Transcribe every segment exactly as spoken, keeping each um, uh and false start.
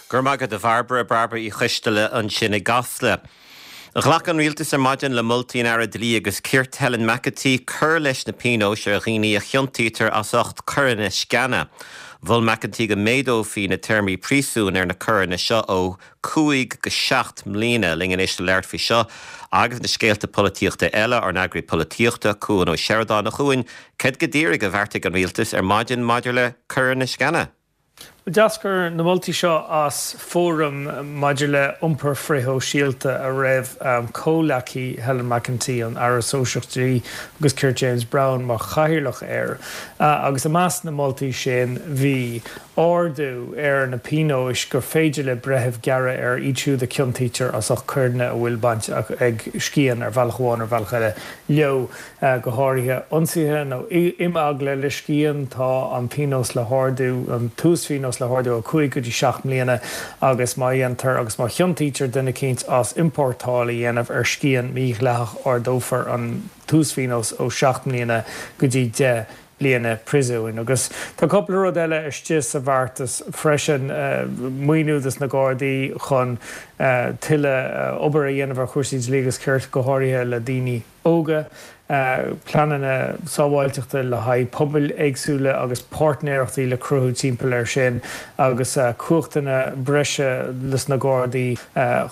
Gur maith agat a Bhairbre Bairbre Uí Choisteala ansin i gCasla. Ghlac an rialtas ar maidin le moltaí an Aire Dlí agus Cirt Helen McEntee cur leis na pionóis ar dhaoine a chiontaítear as ucht coireanna sceana. Mhol McEntee go méadófaí na téarmaí príosúin ar na coireanna seo ó cúig go seacht mbliana linn anois le labhairt faoi seo agus na scéalta polaitíochta eile ár n-eagraí polaitíochta Cuan Ó Seireadáin a Chuain, cad go díreach a bheartaigh an rialtas ar maidin maidir le coireanna sceana. D'eascair na moltaí seo as fóram maidir le iompar frithshóisialta a raibh comhghleacaí Helen McEntee an Aire Sóisearach Dlí agus Cirt James Browne mar chathaoirleach air. Agus i measc na moltaí sin bhí ardú ar na pionóis gur féidir le breitheamh gearradh ar iad siúd a chiontaítear as ucht coireanna a bhfuil baint ag scian ar bhealach amháin ar bhealach eile leo go háirithe ionsaithe nó imeagla le scian tá an pionós le hardú an t-uaspionós le hardú ó cúig go dtí seacht mbliana agus má dhéantar agus má chiontaítear duine eicínt as iompórtáil a dhéanamh ar scian mídhleathach ardófar an t-uaspionós ó seacht mbliana go dtí deich bliana príosúin. Agus tá cúpla rud eile istigh sa bheartas freisin maoiniú dos na Gardaí chun tuilleadh obair a dhéanamh ar chúrsaí dlí agus cirt go háirithe le daoine óga, pleananna sábháilteachta le haghaidh pobail éagsúla agus páirtnéireachtaí le cruthú timpeall air sin agus cumhachtanna breise dos na Gardaí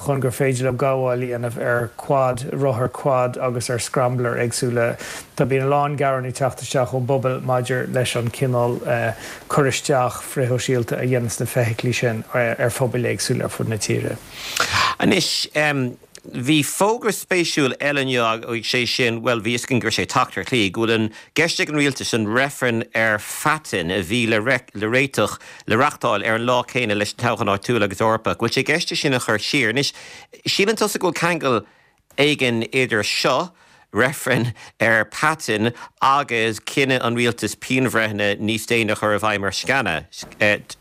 chun gur féidir leo gabháil a dhéanamh ar quad rothar quad agus ar scrambler éagsúla. Tá bíonn a lán gearán ag teacht isteach ón bpobal maidir leis an cineál cur isteach frithshóisialta a dhéanann na feithiclí sin ar phobail éagsúla ar fud na tíre. Anois bhí fógra spéisiúil eile ag sé sin well bhí an gur sé teacht ar shlí, go bhfuil an ceist ag an rialtas an reifreann ar phaitinn a bhí le le réiteach le reáchtáil ar an lá céanna leis an toghchán áitiúil agus Eorpach, bhfuil sé i gceist sin a chur siar. Anois síleann tusa go bhfuil ceangal éigin idir seo, reifreann ar paitinn agus cinneadh an rialtas pianbhreitheanna níos déine chur i bhfeidhm ar sceana.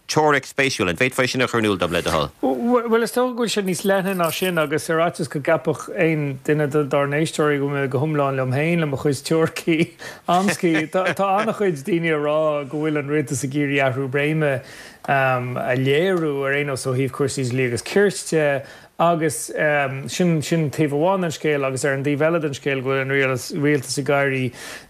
Teoiric spéisiúil an bhféadfá sin a chur in iúl dom le do thoil. Well is dócha go bhfuil sé níos leithne ná sin agus ar fhaitíos go gceapfadh aon duine dár n-éisteoirí go go hiomlán liom féin le mo chuid teoiricí amscaí. Tá an-chuid daoine ag rá go bhfuil an rialtas ag iarraidh athrú réime a léiriú ar aon nós ó thaobh cúrsaí dlí agus cirt agus sin sin taobh amháin den scéal agus ar an dtaobh eile den scéal go bhfuil an rialtas ag éirí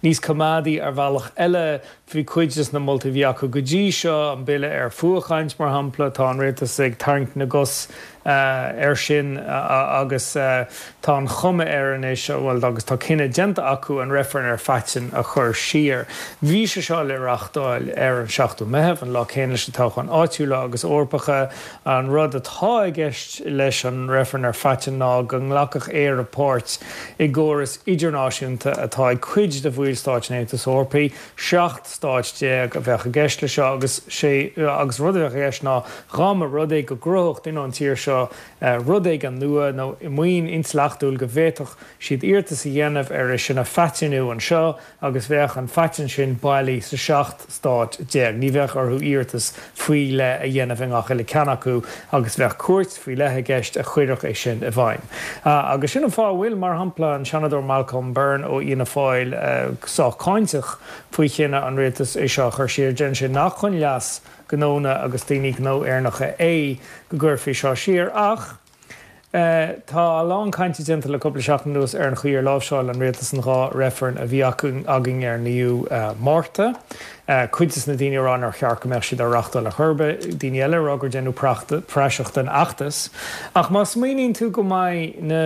níos coimeádaí ar bhealach eile bhí cuid de na moltaí a bhí acu go dtí seo an bille ar fuathchaint mar shampla tá an rialtas ag tarraingt na gcos ar sin agus tá an chuma air anois bhuel agus tá cinneadh déanta acu an reifreann ar phaitinn a chur siar. Bhí sé seo le reáchtáil ar an seachtú Meitheamh an lá céanna leis na toghcháin áitiúla agus Eorpacha an rud atá i gceist leis an reifreann ar phaitinn ná go nglacfadh Éire páirt i gcóras idirnáisiúnta atá ag cuid de bhallstáit an Aontais Eorpaigh, seacht stáit déag a bheadh i gceist le seo agus sé agus rud a bheadh i gceist ná dá mba rud é go gcruthódh duine ón tír seo rud éigin nua nó maoin intleachtúil go bhféadfadh siad iarratas a dhéanamh ar é sin a phaitinniú anseo agus bheadh an phaitinn sin bailí sa seacht stát déag. Ní bheadh orthu iarratas faoi leith a dhéanamh i ngach uile ceann acu agus bheadh cúirt faoi leith i gceist a chuirfeadh é sin i bhfeidhm. Agus sin an fáth a bhfuil mar shampla an Seanadóir Malcolm Byrne ó Fhianna Fáil sách cáinteach faoi chinneadh an rialtais é seo a chur siar deireann sé nach chun leas gnónna agus daoine gnó Éireannacha é go gcuirfí seo siar ach Tá a lán cainte déanta le cúpla seachtain anuas ar an chaoi ar láimhseáil an rialtas an dhá reifreann a bhí againn ar naoú Márta. Cuid de na daoine ag rá nár cheart go mbeadh siad á reáchtáil ar chor ar bith, daoine eile ag rá gur déanadh praiseach den fheachtas. Ach má smaoiníonn tú go mbeidh na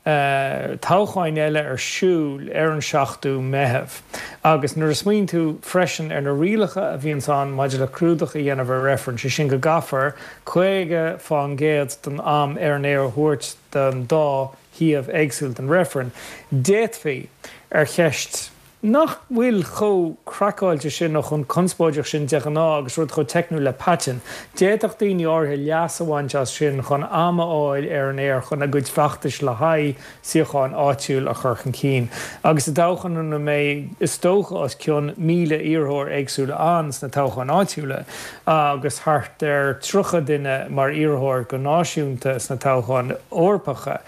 toghcháin eile ar siúl ar an seachtú Meitheamh agus nuair a smaoiníonn tú freisin ar na rialacha a bhíonns ann maidir le clúdach a dhéanamh ar reifreann, sé sin go gcaithfear caoga faoin gcéad den am ar an aer a thabhairt don dá thaobh éagsúil den reifreann, d'fhéadfaí ar cheist nach bhfuil chomh craiceáilte sin nó chomh conspóideach sin de ghnáth agus rud chomh teicniúil le paitinn. D'fhéadfadh daoine áirithe leas a bhaint as sin chun am a fháil ar an aer chun a gcuid feachtais le haghaidh suíocháin áitiúil a chur chun cinn. Agus i dtoghchán ina mbeidh is dócha os cionn míle iarrthóir éagsúla ann sna toghcháin áitiúla agus thart ar tríocha duine mar iarrthóir go náisiúnta sna toghcháin Eorpacha,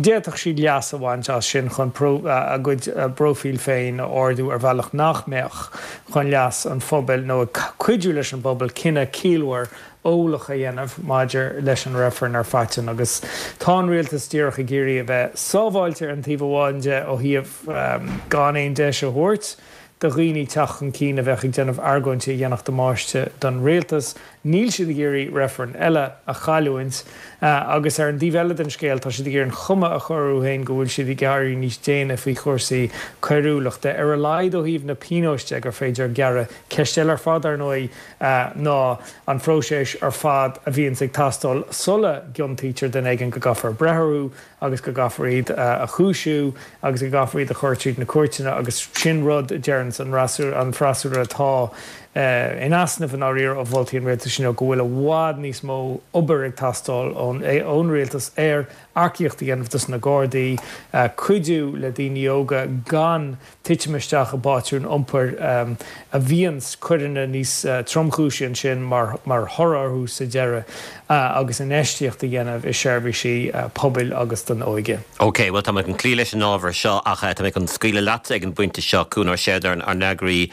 d'fhéadfadh siad leas a bhaint as sin chun a gcuid bpróifíl féin a ardú ar bhealach nach mbeadh chun leas an phobail nó ag cuidiú leis an bpobal cinneadh ciallmhar eolach a dhéanamh maidir leis an reifreann ar phaitinn agus tá an rialtas díreach ag iarraidh a bheith sábháilte ar an taobh amháin de ó thaobh gan aon deis a thabhairt do dhaoine teacht chun cinn a bheadh ag déanamh argóintí a dhéanfadh damáiste don rialtas. Níl siad ag iarraidh reifreann eile a chailliúint agus ar an dtaobh eile den scéal tá siad ag iarraidh an chuma a chur orthu féin go bhfuil siad ag éirí níos déine faoi chúrsaí coiriúlachta ar a laghad ó thaobh na pionóis de gur féidir gearradh. Ceist eile ar fad ar ndóigh ná an phróiseas ar fad a bhíonns ag teastáil sula gciontaítear duine éigin go gcaithfear breith orthu agus go gcaithfear iad a chúisiú agus go gcaithfear iad a chur tríd na cúirteanna agus sin rud a deireanns an freasúra atá in easnamh i ndáiríre ó mholtaí an rialtais inniu go bhfuil i bhfad níos mó obair ag teastáil ón rialtas ar earcaíocht a dhéanamh dos na Gardaí, cuidiú le daoine óga gan titim isteach i bpátrún iompair a bhíonns coireanna níos tromchúisí ansin mar thoradh orthu sa deireadh agus infheistíocht a dhéanamh i seirbhísí pobail agus don óige. Ok, bhuel tá mé chun cloí leis an ábhar seo ach tá mé chun scaoileadh leat ag an bpointe seo, Cuan Ó Seireadáin, ár n-eagraí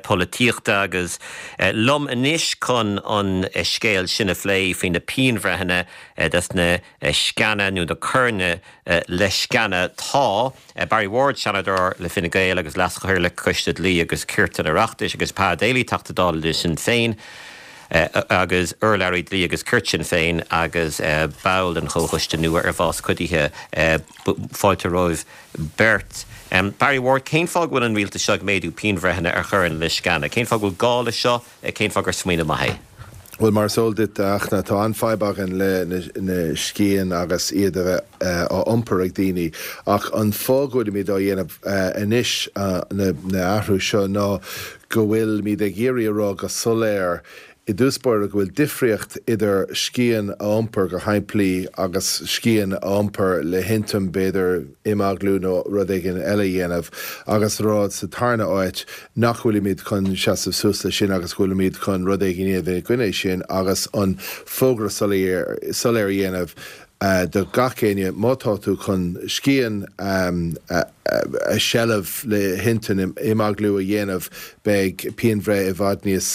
polaitíochta agus liom anois chun an scéal sin a phlé faoi na pianbhreitheanna dos na sceana nó na coireanna le sceana tá Barry Ward, Seanadóir le Fine Gael agus Leas-Chathaoirleach Coiste Dlí agus Cirt an Oireachtais agus Pa Daly, Teachta Dála le Sinn Féin agus urlabhraí Dlí agus Cirt Sinn Féin agus ball den Chomhchoiste nua ar Bhás Cuidithe. Fáilte romhaibh beirt. Barry Ward, cén fáth go bhfuil an rialtas seo ag méadú pianbhreitheanna ar choireanna le sceana? Cén fáth go bhfuil gá leis seo? Cén fáth gur smaoineamh maith é? Bhuel, mar is eol duit, a Fhachtna, tá an-fhadhb againn le na scian agus iad a bheith á iompar ag daoine. Ach an fáth go bhfuilimid á dhéanamh anois, na athrú seo, ná go bhfuilimid ag iarraidh a rá go soiléir i dtús báire go bhfuil difríocht idir scian a iompar go shimplí agus scian a iompar le hintinn b'fhéidir imeaglú nó rud éigin eile a dhéanamh agus a rá sa tarna áit nach bhfuilimid chun seasamh suas leis sin agus go bhfuilimid chun rud éigin a dhéanamh i gcoinne sin agus an fógra soiléir a dhéanamh do gach éinne, má tá tú chun scian a sheilbh le hintinn imeaglú a dhéanamh, beidh pianbhreith i bhfad níos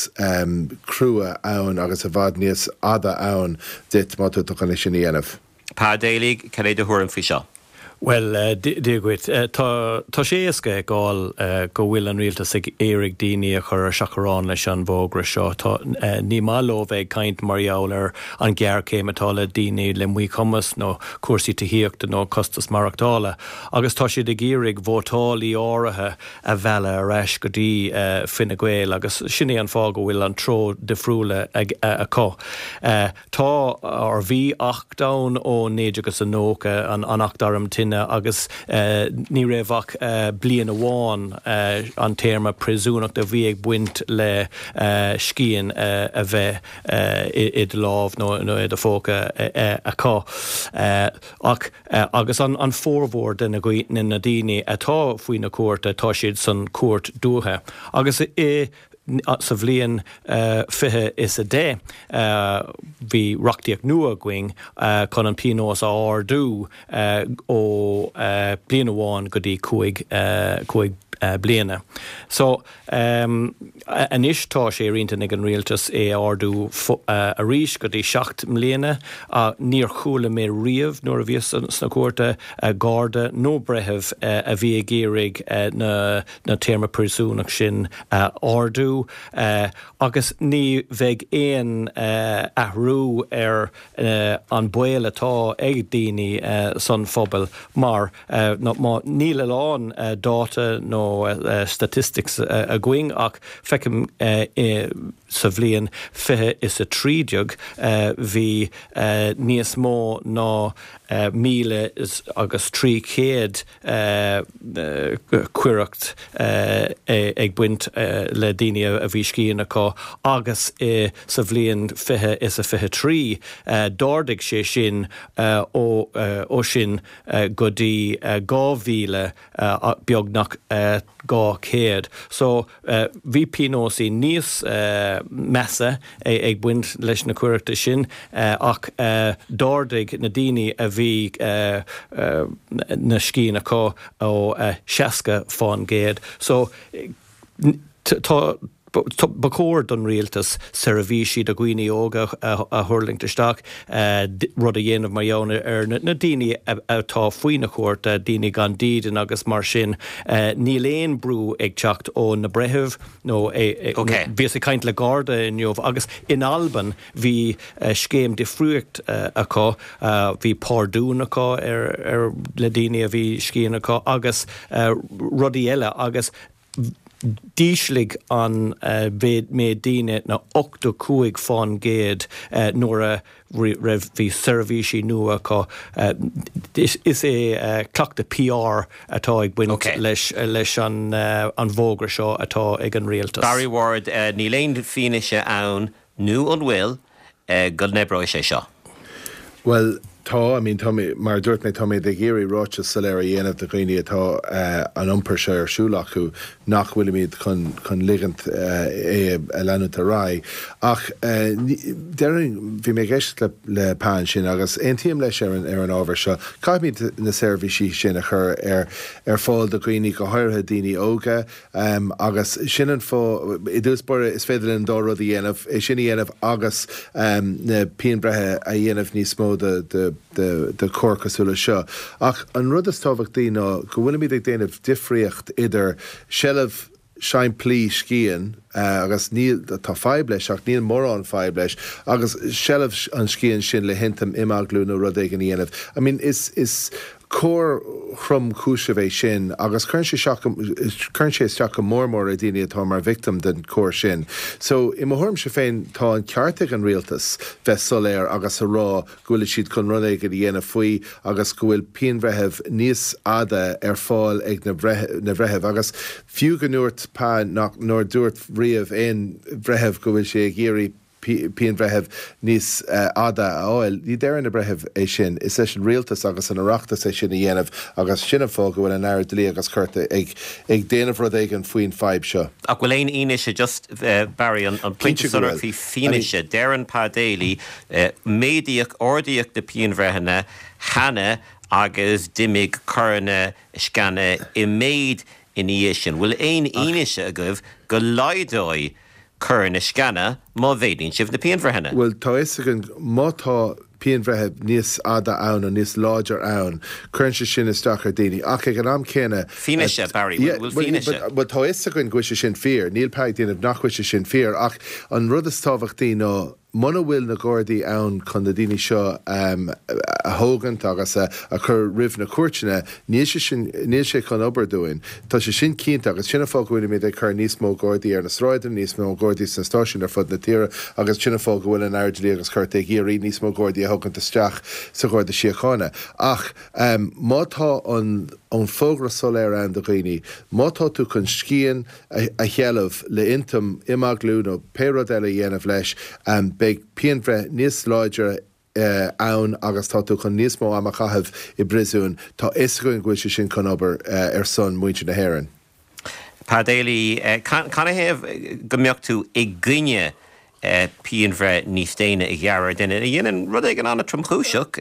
crua ann agus i bhfad níos fhada ann duit má tá tú chun é sin a dhéanamh. Pa Daly, cad é do thuairim faoi seo? Bhuel, Dia dhuit. Tá tá sé éasca a fheiceáil go bhfuil an rialtas ag iarraidh daoine a chur ar seachrán leis an bhfógra seo. Tá ní maith leo bheith ag caint mar gheall ar an ghéarchéim atá le daoine le míchumas nó cúrsaí tithíochta nó costas maireachtála agus tá siad ag iarraidh vótálaí áirithe a mhealladh ar ais go dtí Fine Gael agus sin é an fáth go bhfuil an treo difriúla acu. Tá, or bhí acht ann ó naoi déag agus a nócha, an Acht Arm Tine agus ní raibh ach bliain amháin an téarma príosúnachta a bhí ag baint le scian a bheith i do lámh nó i do phóca acu. Ach agus an formhór de na daoine atá faoi na cúirte, tá siad san cúirt dúiche. Agus i Sa bhliain fiche is a deich bhí reachtaíocht nua againn chun an pionós a ardú ó bliain amháin go dtí cúig cúig bliana. So anois tá sé ar intinn ag an rialtas é a ardú arís go dtí seacht mbliana. Níor chuala mé riamh nuair a bhíos sna cúirte garda nó breitheamh a bhí ag iarraidh na na téarma príosúnach sin a ardú agus ní bheidh aon athrú ar an baol atá ag daoine san phobal mar níl a lán dáta nó statistics againn ach feicim sa bhliain fiche is a trí déag bhí níos mó ná míle agus trí chéad coireacht ag baint le daoine a bhí scian acu agus sa bhliain fiche is a fiche trí d'ardaigh sé sin ó sin go dtí dhá mhíle beagnach dhá chéad. So bhí pionósaí níos measa ag baint leis na coireachta sin ach d'ardaigh na daoine a bhí na scian acu ó seasca fán gcéad. So tá Ba chóir don rialtas seirbhísí do dhaoine óga a thuirlingt isteach, rud a dhéanamh mar gheall ar na daoine atá faoi na cúirte, daoine gan dídean agus mar sin. Níl aon brú ag teacht ó na breithimh nó bhíos ag caint le Garda inniu agus in Albain bhí scéim difriúil acu, bhí pardún acu ar le daoine a bhí scian acu agus rudaí eile agus d'ísligh an méid daoine ná ochtó cúig fán gcéad nuair a raibh bhí seirbhísí nua acu. Is é cleachtadh PR atá ag baint leis leis an an bhfógra seo atá ag an rialtas. Barry Ward, níl aon fianaise ann nó an bhfuil go n-oibreoidh sé seo? Bhuel, tá, I mean, tá mé, mar a dúirt mé, tá mé ag iarraidh ráiteas soiléir a dhéanamh do dhaoine atá an iompar seo ar siúl acu nach bhfuilimid chun, chun ligint é a leanúint ar aghaidh. Ach déarfainn, bhí mé ag éisteacht le, le Pa ansin agus aontaím leis ar an, ar an ábhar seo, caithfimid na seirbhísí sin a chur ar, ar fáil do dhaoine, go háirithe daoine óga, Agus sin an fáth, i dtús báire, is féidir linn an dá rud a dhéanamh, é sin a dhéanamh agus na pianbhreithe a dhéanamh níos mó do choir cosúil leis seo. Ach an rud is tábhachtaí ná go bhfuilimid ag déanamh difríocht idir seilbh shimplí scian, agus níl, tá fadhb leis ach níl mórán fadhb leis, agus seilbh an scian sin le hintinn imeaglú nó rud éigin a dhéanamh. I mean, is, is coir thromchúiseach é sin agus cuireann sé isteach, cuireann sé isteach go mór mór ar dhaoine atá mar victim den choir sin. So, i mo thuairimse féin, tá an ceart ag an rialtas bheith soiléir agus a rá go bhfuil siad chun rud éigin a dhéanamh faoi agus go bhfuil pianbhreitheamh níos fhada ar fáil ag na na bhreithimh agus fiú go ndúirt Pa nach nár dúirt riamh aon bhreitheamh go bhfuil sé ag iarraidh pianbhreitheamh níos fhada a fháil. Ní deireann na breithimh é sin. Is leis an rialtas agus an Oireachtas é sin a dhéanamh agus sin an fáth go bhfuil an Aire Dlí agus Cirt ag ag déanamh rud éigin faoin fadhb seo. Ach bhfuil aon fhianaise, just Barry, an pointe Cinnte go sonrach bhfuil. faoi I mean. fianaise, deireann Pa Daly, méadaíodh, ardaíodh na pianbhreitheanna cheana agus d'imigh coireanna sceana i méid ina dhiaidh sin. Bhfuil aon fhianaise agaibh go laghdóidh coireanna sceana má mhéadaíonn sibh na pianbhreitheanna? Bhuel, tá fhios againn, má tá pianbhreith níos fhada ann nó níos láidir ann, cuireann sé sin isteach ar daoine. Ach ag an am céanna, Fianaise, Barry, yeah, bhfuil bhuel, fianaise? bhuel, tá fhios againn go bhfuil sé sin fíor. Níl Pa ag déanamh nach bhfuil sé sin fíor. Ach an rud is tábhachtaí ná muna bhfuil na Gardaí ann chun na daoine seo a thógaint agus a chur roimh na cúirteanna, níl sé sin, níl sé chun obair dúinn. Tá sé sin cinnte agus sin an fáth go bhfuilimid ag cur níos mó Gardaí ar na sráideanna, níos mó Gardaí sna stáisiúin ar fud na tíre agus sin an fáth go bhfuil an Aire Dlí agus Cirt ag iarraidh níos mó Gardaí a thógaint isteach sa Gharda Síochána. Ach má tá an an fógra soiléir ann do dhaoine, má tá tú chun scian a sheilbh le intinn imeaglú nó pé rud eile a dhéanamh leis, beidh pianbhreith níos láidre ann agus tá tú chun níos mó ama a chaitheamh i bpríosún. Tá fhios againn go bhfuil sé sin chun obair ar son muintir na hÉireann. Pa Daly, canathaobh go mbeadh tú i gcoinne pianbhreith níos déine a ghearradh ar dhuine a dhéanann rud éigin an-tromchúiseach,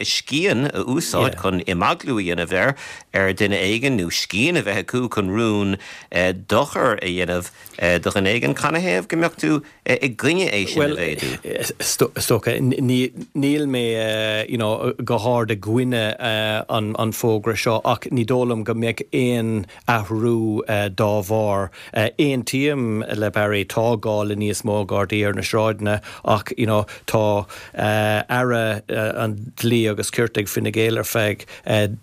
scian a úsáid chun imeaglú a dhéanamh ar ar dhuine éigin nó scian a bheith acu chun rún dochar a dhéanamh do dhuine éigin. Canathaobh go mbeadh tú i gcoinne é sin a mhéadú? Bhuel, is dócha, níl mé you know go hard i gcoinne an an fógra seo ach ní dóigh liom go mbeadh aon athrú dá bharr. Aontaím le Barry, tá gá le níos mó Gardaí ar na sráideanna ach you know tá Aire an Dlí agus Cirt ag Fine Gael ar feadh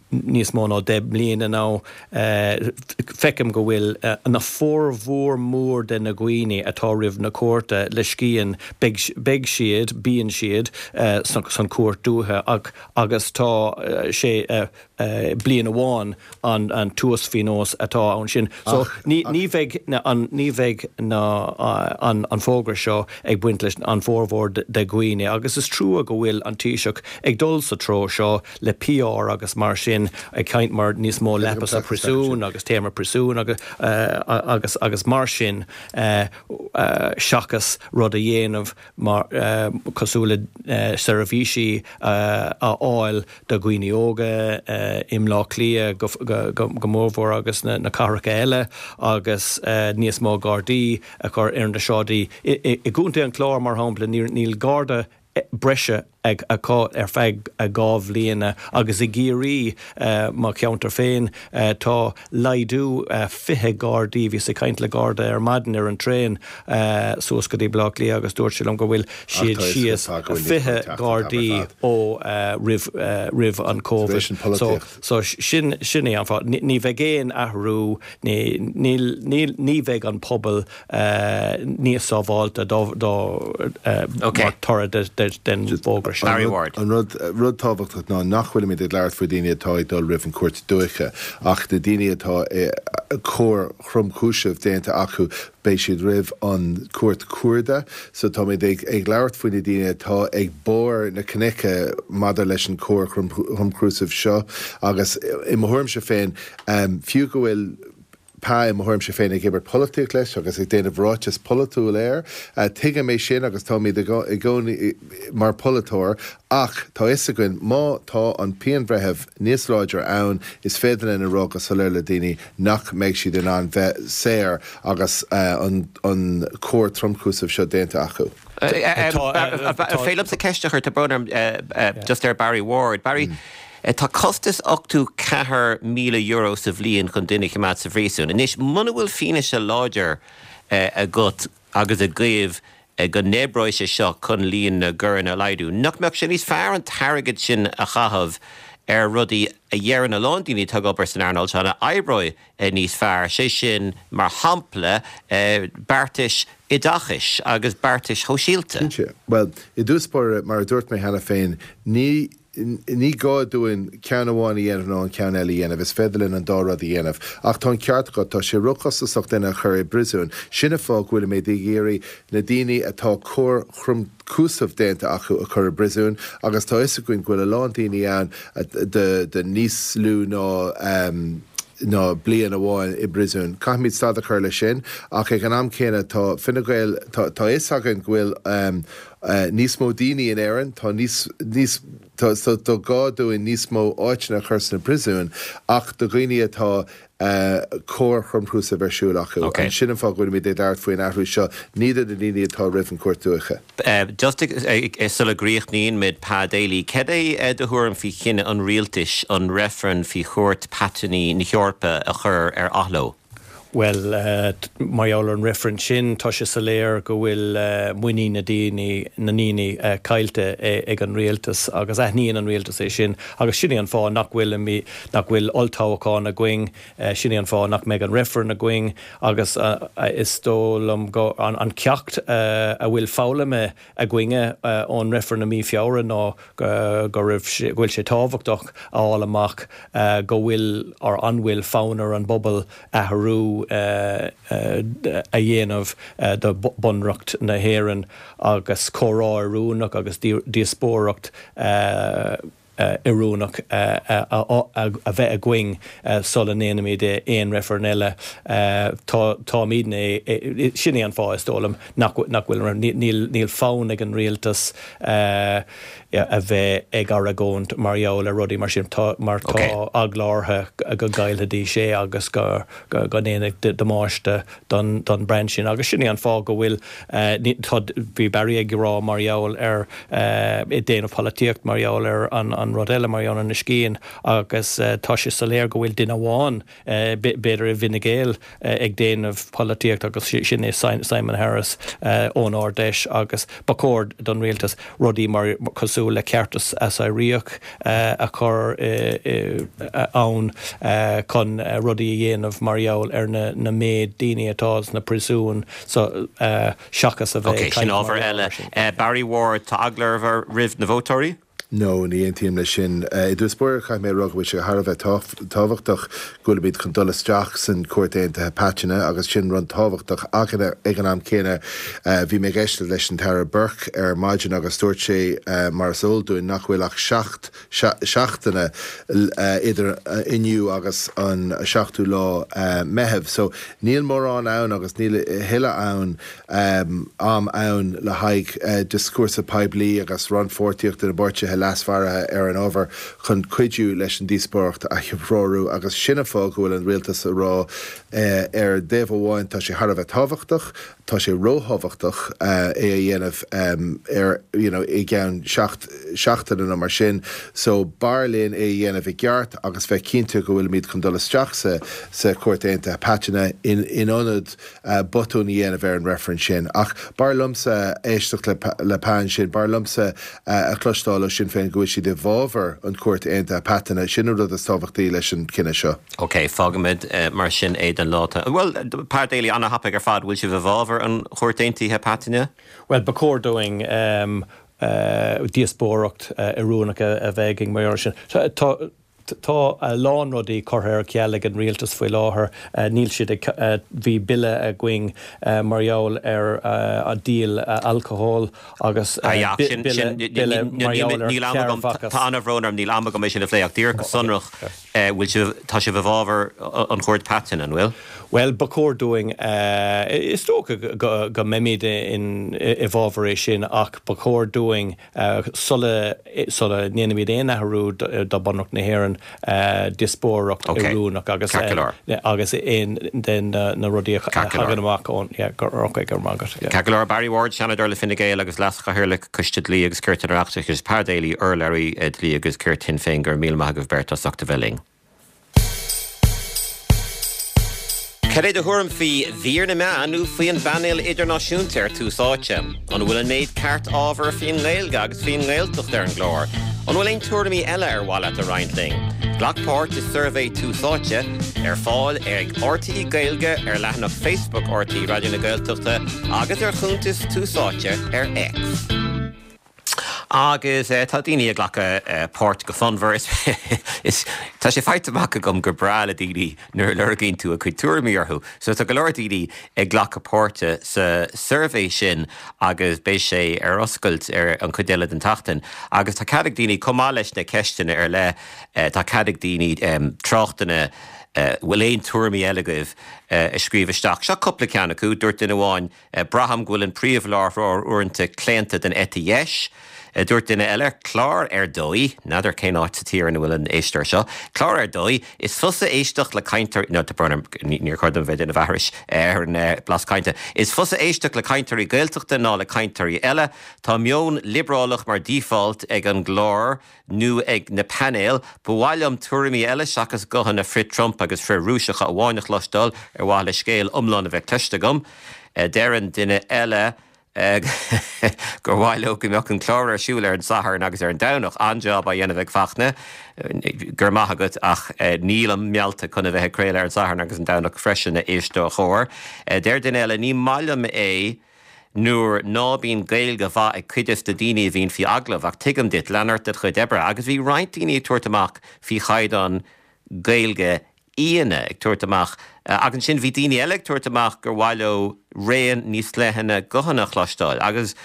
níos mó ná deich mbliana nó feicim go bhfuil na formhór mór de na dhaoine atá roimh na cúirte le scian, beidh beidh siad, bíonn siad san cúirt dúiche ach agus tá sé bliain amháin an an t-uasphionós atá ann sin. So ní ní bheidh an ní bheidh na an an fógra seo ag baint leis an formhór de dhaoine agus is trua go bhfuil an Taoiseach ag dul sa treo seo le P R agus mar sin, ag caint mar níos mó leapa sa príosún agus téarma príosún agus agus agus mar sin, seachas rud a dhéanamh mar cosúil le seirbhísí a fháil do dhaoine óga i mBleá Cliath go mórmhór agus na cathracha eile agus níos mó gardaí a chur ar na sráidí. I gContae an Chláir, mar shampla, níl garda breise ag acu ar feadh dhá bhliana agus i gCiarraí, mo cheantar féin, tá laghdú fiche gardaí. Bhíos ag caint le garda ar maidin ar an traein suas go dtí Bleá Cliath agus dúirt sé liom go bhfuil siad síos fiche gardaí ó roimh roimh an Covid. So so sin sin é an fáth. Ní bheidh aon athrú, ní ní ní bheidh an pobal níos sábháilte dá dá mar toradh den bhfógra sin. Barry Ward. An rud rud tábhachtach ná nach bhfuilimid ag labhairt faoi daoine atá ag dul roimh an cúirt dúiche, ach na daoine atá coir thromchúiseach déanta acu, beidh siad roimh an cúirt cuarda. So táimid ag ag labhairt faoi na daoine atá ag barr na cnoice maidir leis an coir thromchúiseach seo agus i mo thuairimse féin, fiú go bhfuil Pa i mo thuairimse féin ag imirt polaitíocht leis agus ag déanamh ráiteas polaitiúil air. Tuigim é sin agus táimid i gcónaí mar polaiteoir, ach tá fhios againn má tá an pianbhreitheamh níos láidre ann, is féidir linn a rá go soiléir le daoine nach mbeidh siad in ann bheith saor agus an an coir tromchúiseach seo déanta acu. Féidir liomsa ceist a chur, tá brón orm, just ar Barry Ward. Barry, tá costas ochtó ceathair míle euro sa bhliain chun duine a choimeád sa phríosún. Anois, muna bhfuil fianaise láidir agat agus agaibh go n-oibreoidh sé seo chun líon na gcoireanna a laghdú, nach mbeadh sé níos fearr an t-airgead sin a chaitheamh ar rudaí a dheireann a lán daoine atá ag obair san earnáil seo a oibreoidh níos fearr, sé sin, mar shampla, beartais oideachais agus beartais shóisialta? Cinnte. Bhuel, i dtús báire, mar a dúirt mé cheana féin, ní ní gá dúinn ceann amháin a dhéanamh nó an ceann eile a dhéanamh, is féidir linn an dá rud a dhéanamh. Ach tá an ceart agat, tá sé róchostasach duine a chur i bpríosún. Sin an fáth go bhfuilimid ag iarraidh na daoine atá coir thromchúiseach déanta acu a chur i bpríosún agus tá fhios againn go bhfuil a lán daoine ann de de níos lú ná ná bliain amháin i bpríosún. Caithfimid stad a chur leis sin, ach ag an am céanna tá Fine Gael, tá tá fhios againn go bhfuil níos mó daoine in Éirinn, tá níos níos tá so tá gá dúinn níos mó áiteanna a chur sna príosúin, ach do dhaoine atá coir thromchúiseach ar siúl acu. Okay. Sin an fáth go bhfuilimid ag labhairt faoin athrú seo, ní do na daoine atá roimh an cúirt dúiche. Just sula gcríochnaíonn muid, Pa Daly, cad é do thuairim faoi chinneadh an rialtais an reifreann faoi Chúirt Paitinní na hEorpa a chur ar athló? Bhuel, mar gheall ar an reifreann sin, tá sé soiléir go bhfuil muinín na daoine na ndaoine caillte ag an rialtas agus aithníonn an rialtas é sin agus sin é an fáth nach bhfuil nach bhfuil olltoghchán againn, sin é an fáth nach mbeidh an reifreann againn agus is dóigh liom go an an ceacht a bhfuil foghlamtha againne ón reifreann i mí Feabhra ná go raibh go bhfuil sé tábhachtach a fháil amach go bhfuil or an bhfuil fonn ar an bpobal athrú a dhéanamh do Bunreacht na hÉireann agus comhrá oiriúnach agus díospóireacht oiriúnach a bheith againn sula ndéanaimid aon reifreann eile. Táimidne, sin é an fáth is dóigh liom nach bhfuil, níl fonn ag an rialtas a bheith ag argóint mar gheall ar rudaí mar sin mar tá eagla orthu go gcaillfidís é agus go go ndéanfaidh damáiste don don brand sin. Agus sin é an fáth go bhfuil tá bhí Barry ag rá mar gheall ar ag déanamh polaitíocht mar gheall ar an an rud eile mar gheall ar na scian agus tá sé soiléir go bhfuil duine amháin b'fhéidir i bhFine Gael ag déanamh polaitíocht agus sin é Simon Harris ón Ard-Fheis agus ba chóir don rialtas rudaí mar cosúil le ceartas assiréach a chur ann chun rudaí a dhéanamh mar gheall ar na na méid daoine atá sna príosúin so seachas a bheith. Ok, sin ábhar eile. Barry Ward, tá eagla oraibh roimh na vótóirí? No, ní aontaím leis sin. I dtús báire caithfidh mé a rá go bhfuil sé thar a bheith tábhachtach go bhfuilimid chun dul isteach san Chúirt Aontaithe Paitinne agus sin rud tábhachtach ach ag an am céanna bhí mé ag éisteacht leis an tAire Burke ar maidin agus dúirt sé mar is eol dúinn nach bhfuil ach seacht seachtaine idir inniu agus an seachtú lá Meitheamh. So níl mórán ann agus níl a thuilleadh ann am ann le haghaidh dioscúrsa poiblí agus rannpháirtíocht na bpáirtithe leasmhara ar an ábhar chun cuidiú leis an díospóireacht a threorú agus sin an fáth go bhfuil an rialtas a rá ar thaobh amháin tá sé thar a bheith tábhachtach, tá sé róthábhachtach é a dhéanamh ar you know i gceann seacht seachtaine nó mar sin so b'fhearr linn é a dhéanamh i gceart agus bheith cinnte go bhfuilimid chun dul isteach sa sa Chúirt Aontaithe Paitinne in in ionad botún a dhéanamh ar an reifreann sin. Ach b'fhearr liomsa éisteacht le le Pa ansin, b'fhearr liomsa a chloisteáil ó Sinn Féin go bhfuil siad i bhfabhar an Chúirt Aontaithe Paitinne, sin an rud is tábhachtaí leis an cinneadh seo. Ok, fágaimid mar sin é don lá. Bhuel, Pa Daly, an-thapaidh ar fad, bhfuil sibh i bhfabhar an Chúirt Aontaithe Paitinne? Well, ba chóir dúinn um, uh, díospóireacht uh, oiriúnach a bheith againn mar sin. Tá Tá a lán rudaí curtha ar ceal ag an rialtas faoi láthair, níl siad ag, bhí bille againn mar gheall ar an díol alcóil agus bille mar gheall ar cearrbhachas. Tá an-bhrón orm, níl am agam é sin a phlé ach díreach go sonrach, bhfuil sibh, tá sibh i bhfabhar an Chúirt Paitinn, an bhfuil? Bhuel, ba chóir dúinn, is dócha go mbeimid i bhfabhar é sin ach ba chóir dúinn sula sula ndéanaimid aon athrú do Bunreacht na hÉireann díospóireacht oiriúnach agus agus aon den na rudaí a thagann amach ón ok go raibh maith agat. Ceart go leor, Barry Ward, Seanadóir le Fine Gael agus Leas-Chathaoirleach Coiste Dlí agus Cirt an Oireachtais agus Pa Daly, urlabhraí Dlí agus Cirt Shinn Féin, go raibh míle maith agaibh beirt as ucht a bheith linn. Cad é do thuairim faoi mhír na meán nó faoi an bpainéal idirnáisiúnta ar Tús Áite? An bhfuil an méid ceart ábhar faoin nGaeilge agus faoin nGaeltacht ar an gclár? An bhfuil aon tuairimí eile ar mhaith leat a roinnt linn? Glac páirt i suirbhé Tús Áite, ar fáil ag RTÉ Gaeilge ar leathanach Facebook RTÉ Raidió na Gaeltachta agus ar chuntas Tús Áite ar X. Agus tá daoine ag glacadh páirt go fonnmhar. Is tá sé faighte amach agam gur breá le daoine nuair a lorgaíonn tú a gcuid tuairimí orthu. So tá go leor daoine ag glacadh páirte sa suirbhé sin agus beidh sé ar oscailt ar an chuid eile den tseachtain. Agus tá cead ag daoine, chomh maith leis na ceisteanna ar leith, tá cead ag daoine tráchtanna, bhfuil aon tuairimí eile agaibh, a scríobh isteach. Seo cúpla ceann acu. Dúirt duine amháin, Braithim go bhfuil an príomhláithreoir uaireanta claonta don eite dheis. Dúirt duine eile, Clár ar dóigh, n'fheadar cén áit sa tír ina bhfuil an éisteoir seo, clár ar dóigh, is fusa éisteacht le cainteoirí, no, tá brón orm, níor chóir dom bheith ag déanamh aithris ar an blas cainte, is fusa éisteacht le cainteoirí Gaeltachta ná le cainteoirí eile, tá meon liobrálach mar default ag an gclár nó ag na painéil, ba mhaith liom tuairimí eile seachas guthanna frith-Trump agus frith-Rúiseacha amháin a chloisteáil ar mhaithe le scéal iomlán a bheith cloiste agam. Deireann duine eile gur mhaith leo go mbeadh an clár ar siúl ar an Satharn agus ar an Domhnach. An-jab á dhéanamh ag Fachtna, go raibh maith agat, ach nílim meallta chun a bheith ag craoladh ar an Satharn agus an Domhnach freisin, a éisteoir chóir. Deir duine eile, ní maith liom é nuair ná bíonn Gaeilge mhaith ag cuid des na daoine a bhíonn faoi agallamh, ach tuigim duit, lean ort ded chuid oibre. Agus bhí roinnt daoine ag tabhairt amach faoi chaighdeán Gaeilge aíonna ag tabhairt amach, ach ansin bhí daoine eile ag tabhairt amach gur mhaith leo raon níos leithne guthanna a chloisteáil. Agus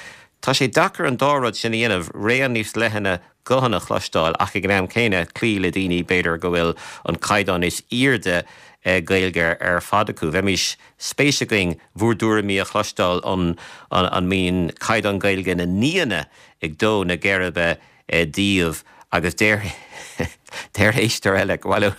tá sé deacair an dá rud sin a dhéanamh, raon níos leithne guthanna a chloisteáil ach ag an am céanna cloí le daoine b'fhéidir go bhfuil an caighdeán is airde Gaeilge ar fad acu. Bheimis spéis againn bhur dtuairimí a chloisteáil an an mbíonn caighdeán Gaeilge na n-aíonna ag dó na geirbe daoibh agus deir deir éisteoir eile go bhfuil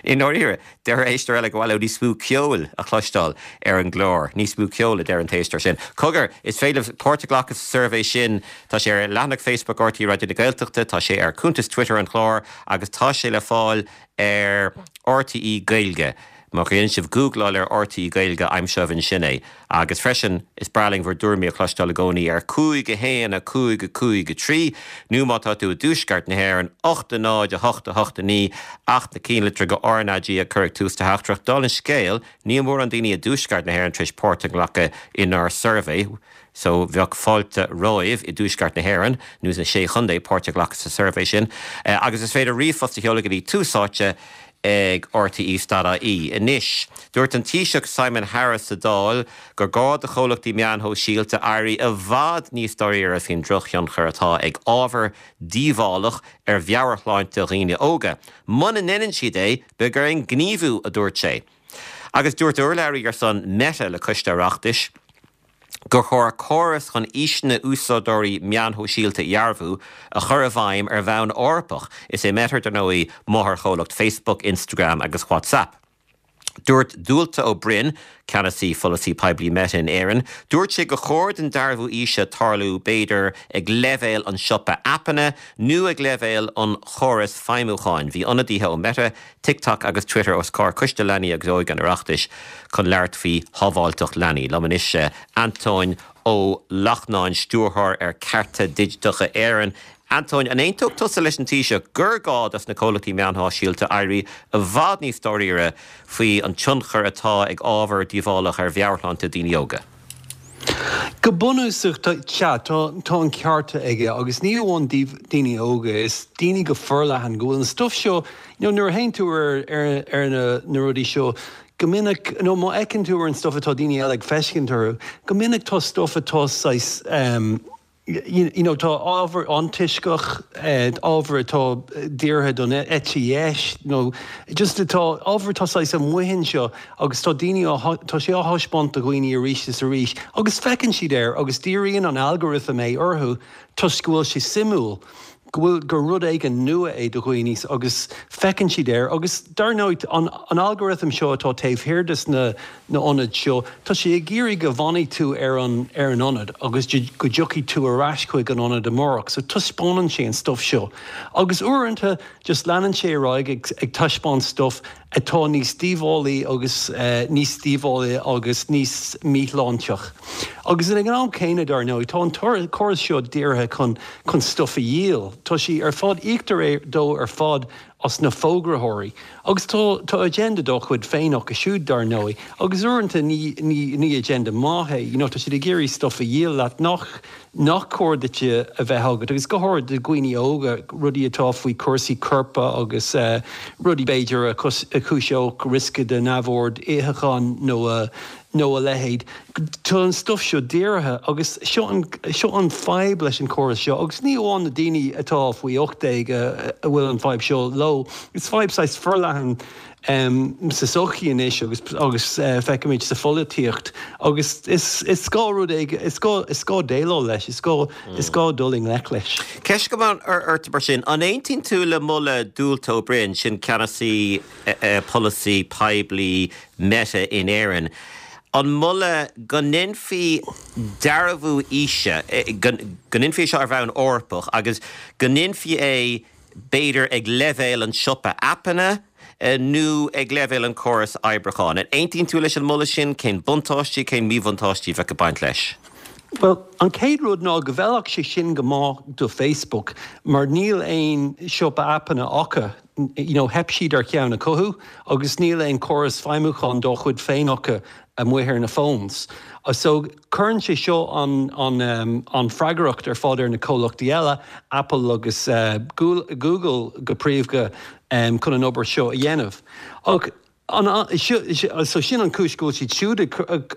i ndáiríre, deir éisteoir eile go mhaith leo níos mó ceoil a chloisteáil ar an gclár. Níos mó ceoil, a deir an t-éisteoir sin. Cogar, is féidir libh páirt a ghlacadh sa suirbhé sin. Tá sé ar leathanach Facebook RTÉ Raidió na Gaeltachta, tá sé ar cuntas Twitter an chláir agus tá sé le fáil ar RTÉ Gaeilge. Má dhéanann sibh gúgláil ar R T E Gaeilge, aimseoidh ansin é. Agus freisin is breá linn bhur dtuairimí a chloisteáil i gcónaí ar cúig a haon a cúig a cúig a trí nó má tá tú i dtuaisceart na hÉireann ocht a náid a hocht a hocht a naoi ach na cinnlitreacha R N A G a chur ag tús do theachtaireacht. Dála an scéil, níl mórán daoine i dtuaisceart na hÉireann tar éis páirt a ghlacadh inár suirbhé, so bheadh fáilte romhaibh i dtuaisceart na hÉireann nó sna sé chontae páirt a ghlacadh sa suirbhé sin. Agus is féidir ríomhphost a sheoladh go dtí Tús Áite ag R T E ponc I E. Anois, dúirt an Taoiseach Simon Harris sa Dáil gur gá do chomhlachtaí meán shóisialta éirí i bhfad níos dáiríre faoin drochthionchar atá ag ábhar díobhálach ar mheabhairshláinte dhaoine óga. Muna ndéanann siad é, beidh orainn gníomhú, a dúirt sé. Agus dúirt urlabhraí ar son Meta le Coiste Oireachtais gur chóir córas chun aoiseanna úsáideoirí meán shóisialta a dhearbhu a chur i bhfeidhm ar bhonn Eorpach. Is é Meta, dar ndóigh, máthairchomhlacht Facebook, Instagram agus WhatsApp. Dúirt Dualta Ó Broin, ceannasaí pholasaí poiblí Meta in Éirinn, dúirt sé gur chóir don dearbhú aoise tarlú b'fhéidir ag leibhéal an siopa aipeanna nó ag leibhéal an chóras feidhmiúcháin. Bhí ionadaithe ó Meta, TikTok agus Twitter os comhair Coiste Leanaí agus Óige an Oireachtais chun labhairt faoi shábháilteacht leanaí. Liom anois Antóin Ó Lachtnáin, stiúrthóir ar Cearta Digiteacha Éireann. Antóin, an aontódh tusa leis an Taoiseach gur gá dos na comhlachtaí meán shóisialta éirí i bhfad níos dáiríre faoi an tionchar atá ag ábhar díobhálach ar mheabhairshláinte daoine óga? Go bunúsach tá tá an ceart aige agus ní amháin daoine óga, is daoine go forleathan go bhfuil an stuff seo you know, nuair a théann tú ar, ar, ar na, na rudaí seo go minic nó má fheiceann tú ar an stuff atá daoine eile ag feiscint orthu, go minic tá stuff atá saghas um, you, you know, tá ábhar antoisceach, eh, ábhar atá dírithe don eite dheis nó just atá ábhar tá saghas amuigh anseo agus tá daoine tá sé á thaispeáint do dhaoine arís is arís agus feiceann siad air agus díríonn an algorithm é orthu toisc go bhfuil sé suimiúil, go bhfuil gur rud éigin nua é do dhaoine agus feiceann siad air agus dar ndóigh an, an algorithm seo atá taobh thiar des na na ionaid seo, tá sé ag iarraidh go bhfanfaidh tú ar an ar an ionad agus go dtiocfaidh tú ar ais chuig an ionad amárach, so taispeánann sé an stuff seo. Agus uaireanta just leanann sé ar aghaidh ag, ag taispeáint stuff atá níos díobhálaí agus uh, níos díobhálaí agus níos míshláinteach. Agus in an am céanna, dar ndóigh, tá an córas seo dírithe chun chun stuff a dhíol. Tá sí ar fad íoctar é dó ar fad as na fógraitheoirí. Agus tá tá agenda dá chuid féin acu siúd, dar ndóigh, agus uaireanta ní, ní, ní agenda maith é, you know, tá siad ag iarraidh stuff a dhíol leat nach nach cóir duit a bheith agat, agus go háirithe do dhaoine óga, rudaí atá faoi cúrsaí coirp agus uh, rudaí b'fhéidir a chúiseodh riosca de neamhord itheacháin nó uh, nó a leithéid. Tá an stuff seo dírithe agus seo an, seo an fadhb leis an córas seo, agus ní amháin na daoine atá faoi ocht déag a bhfuil an fadhb seo leo. Is fadhb saghas forleathan um, sa sochaí anois agus agus uh, feicimid sa pholaitíocht agus is, is gá rud is gá is gá déileáil leis, is gá mm. is gá dul i ngleic leis. Ceist go ort mar sin, an aontaíonn tú le moladh Dualta Ó Broin, sin ceannasaí uh, polasaí poiblí Meta in Éirinn, an moladh go ndéanfaí dearbhú aoise, go ndéanfaí seo ar bhonn Eorpach agus go ndéanfaí é b'fhéidir ag leibhéal an siopa aipeanna nó ag leibhéal an córas oibriúcháin? An aontaíonn tú leis an moladh sin? Cén buntáistí, cén míbhuntáistí bheadh ag baint leis? Well, an chéad rud ná go bhfeilfeadh sé sin go maith do Facebook, mar níl aon siopa aipeanna acu. You know, theip siad ar cheann a chothú agus níl aon córas feidhmiúcháin dá chuid féin acu amuigh ar na phones. So cuireann sé seo an, an, um, an freagracht ar fad ar na comhlachtaí eile, Apple agus uh, Google go príomha, um, chun an obair seo a dhéanamh. Ach an, so sin an chúis go bhfuil siad siúd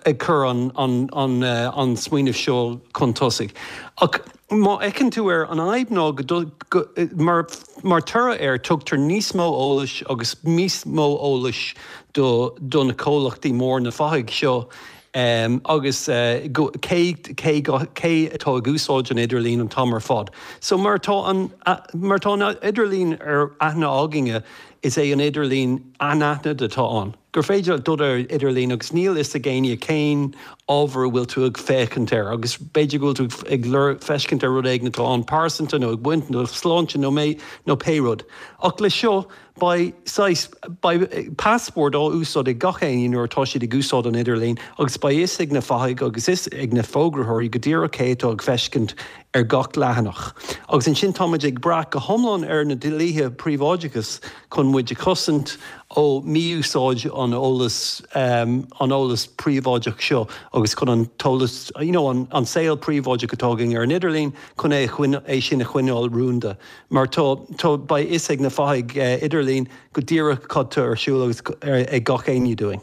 ag cur an, an, an, uh, an smaoineamh seo chun tosaigh. Ach má fheiceann tú ar an fhadhb ná go, go, mar, mar toradh air tugtar níos mó eolais agus níos mó eolais do, do na comhlachtaí mór na fathaigh seo. Um, agus uh, go, cé, cé, cé atá ag úsáid an idirlíon an t-am ar fad. So mar tá an, mar tá an idirlíon ar aithne againne is é an idirlíon anaithnid atá ann. Gur féidir dul ar idirlíon agus níl fhios ag éinne cén ábhar a bhfuil tú ag féachaint air, agus b'fhéidir go bhfuil tú ag feiscint ar rud éigin atá an-pearsanta nó ag baint nó sláinte nó mé nó pé rud. Ach le seo beidh saghas beidh passport á úsáid ag gach éinne nuair atá siad ag úsáid an idirlín agus beidh fhios ag na fathaigh agus fhios ag na fógraitheoirí go díreach cé atá ag feiscint ar gach leathanach. Agus ansin táimid ag brath go hiomlán ar na dlíthe príobháideachais chun muid a chosaint ó mhí-úsáid an eolas um, an eolas príobháideach seo agus chun an t-eolas you know, an, an saol príobháideach atá againn ar an idirlíon chun é, é sin a choinneáil rúnda. Mar tá tá beidh fhios ag na fathaigh uh, idirlín go díreach cad tá ar siúl agus ag gach éinne dúinn.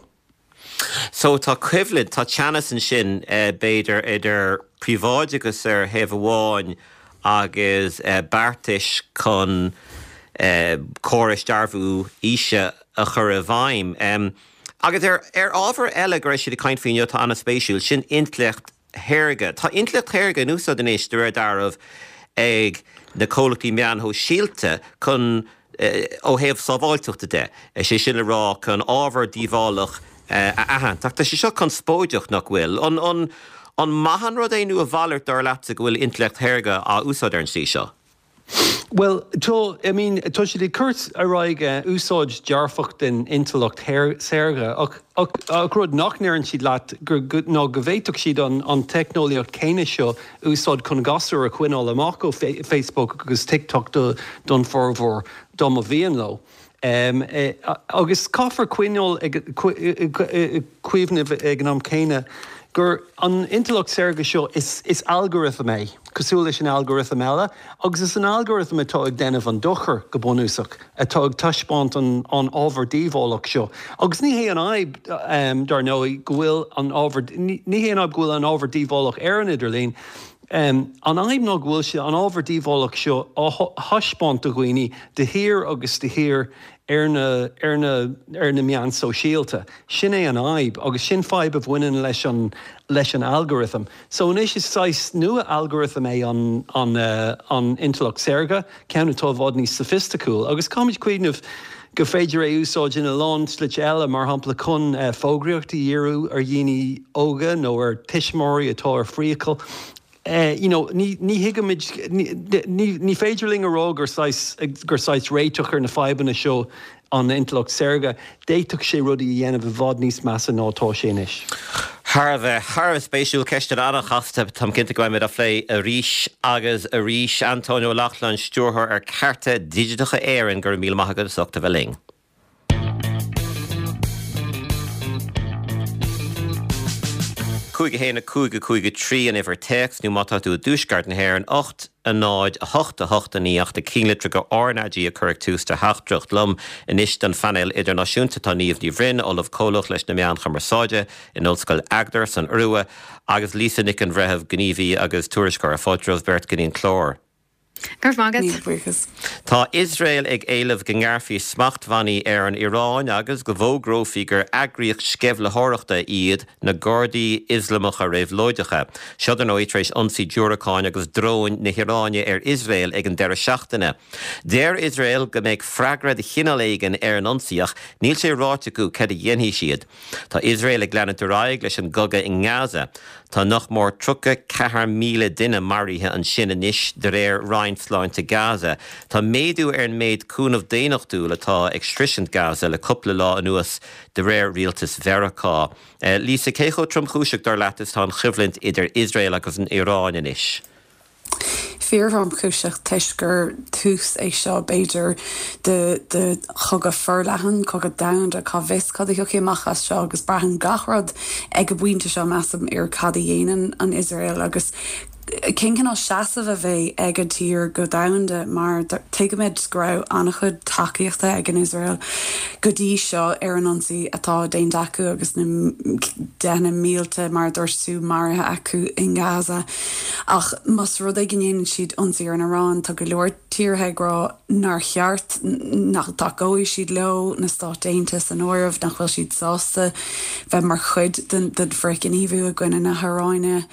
So tá coimhlint tá teannas ansin uh, b'fhéidir idir príobháideachas ar thaobh amháin agus uh, beartais chun uh, córais dearbhú aoise a chur i bhfeidhm. Um, agus ar, ar ábhar eile go raibh siad ag caint faoi inniu atá an-spéisiúil sin intleacht shaorga. Tá intleacht shaorga in úsáid anois de réir dealraimh ag na comhlachtaí meáin shóisialta chun ó thaobh sábháilteachta de, sé sin le rá chun ábhar díobhálach a aithint. Ach tá sé seo conspóideach nach bhfuil. An, an, an maith an rud é nó a mhalairt dar leatsa go bhfuil intleacht shaorga á úsáid ar an slí seo? Well, tá I mean, tá siad ag cur ar aghaidh uh, úsáid dearfach den intleacht saorga ach, ach, ach rud nach ndeireann siad leat ná go bhféadfadh siad an, an teicneolaíocht céanna seo úsáid chun gasúir a choinneáil amach ó Facebook agus TikTok do, don formhór dá mba mhian leo. Um, eh, agus caithfear coinneáil cuimhneamh ag an am céanna gur an intleacht saorga seo is, is algorithm é, cosúil leis an algorithm eile, agus is an algorithm atá ag déanamh an dochar go bunúsach atá ag taispeáint an, an ábhar díobhálach seo. Agus ní hé an fhadhb um, dar ndóigh go bhfuil an ábhar ní hé an fhadhb go bhfuil an ábhar díobhálach ar an idirlíon. Um, an fhadhb ná go bhfuil sé an ábhar díobhálach seo á thaispeáint do dhaoine de shíor agus de shíor ar na, ar na, ar na meáin sóisialta. Sin é an fhadhb agus sin fadhb a bhaineann leis an, leis an algorithm. So anois is saghas nua algorithm é an, an, uh, an intleacht saorga, ceann atá i bhfad níos soifisticiúil, agus caithfimid cuimhneamh go féidir é úsáid in a lán slite eile mar shampla chun uh, fógraíocht a dhíriú ar dhaoine óga nó ar tuismitheoirí atá ar priacal. Uh, you know, ní ní thuigimid ní, ní féidir linn a rá gur saghas gur saghas réiteach ar na fadhbanna seo an intleacht saorga, d'fhéadfadh sé rudaí a dhéanamh i bhfad níos measa ná atá sé anois. Thar a bheith thar a bheith spéisiúil ceist an-chasta táim cinnte go mbeimid á phlé arís agus arís Antóin Ó Lochlainn stiúrthóir ar Cearta Digiteacha Éireann go raibh míle maith agat as ucht a bheith linn. Cúig a haon a cúig a cúig a trí an uimhir téacs nó má tá tú i dtuaisceart na hÉireann ocht a náid a hocht a hocht a naoi ach do chinnlitreacha go RnaG a chur ag tús do theachtaireacht liom anois don phainéal idirnáisiúnta tá Niamh Ní Bhroin, Ollamh Comhlach leis na Meáin Chumarsáide in Ollscoil Agder san Iorua agus Lisa Nic an Bhreithimh gníomhaí agus tuairisceoir fáilte romhaibh beirt go dtí an clár. Go raibh maith agat. Tá Iosrael ag éileamh go ngearrfaí smachtbhannaí ar an Iaráin agus go bhfógrófaí gur eagraíocht sceimhlitheoireachta iad na Gardaí Ioslamacha Réabhlóideacha. Seo dar ndóigh tar éis ionsaí diúracáin agus dróin na hIaráine ar Iosrael ag an deireadh seachtaine. Deir Iosrael go mbeidh freagra de chineál éigin ar an ionsaí ach níl sé ráite acu cad a dhéanfaidh siad. Tá Iosrael ag leanúint ar aghaidh leis an gcogadh i nGaza. Tá nach mór tríocha ceathair míle duine maraithe ansin anois de réir Roinn Sláinte Gaza. Tá méadú ar an méid cúnamh daonnachtúil atá ag sroisint Gaza le cúpla lá anuas de réir rialtas Mheiriceá. Lisa cé chomh tromchúiseach dar leat is atá an choimhlint idir Iosrael agus an Iaráin anois. Fíor-thromchúiseach toisc gur tús é seo b'fhéidir de de chogadh forleathan, cogadh domhanda cá bhfios cad a thiocfaidh amach as seo agus braitheann gach rud ag an bpointe seo measaim ar cad a dhéanann an Iosrael agus cén cineál seasamh a bheidh ag an tír go domhanda mar tuigimid go raibh an-chuid tacaíochta ag an Iosrael go dtí seo ar an ionsaí atá déanta acu agus na deicheanna mílte mar a dúirt tú maraithe acu in Gaza. Ach más rud é go ndéanann siad ionsaí ar an Iaráin tá go leor tíortha ag rá nár cheart nach dtacóidh siad leo, na Stáit Aontaithe san áireamh, nach bhfuil siad sásta bheith mar chuid den den frithghníomhú i gcoinne na hIaráine.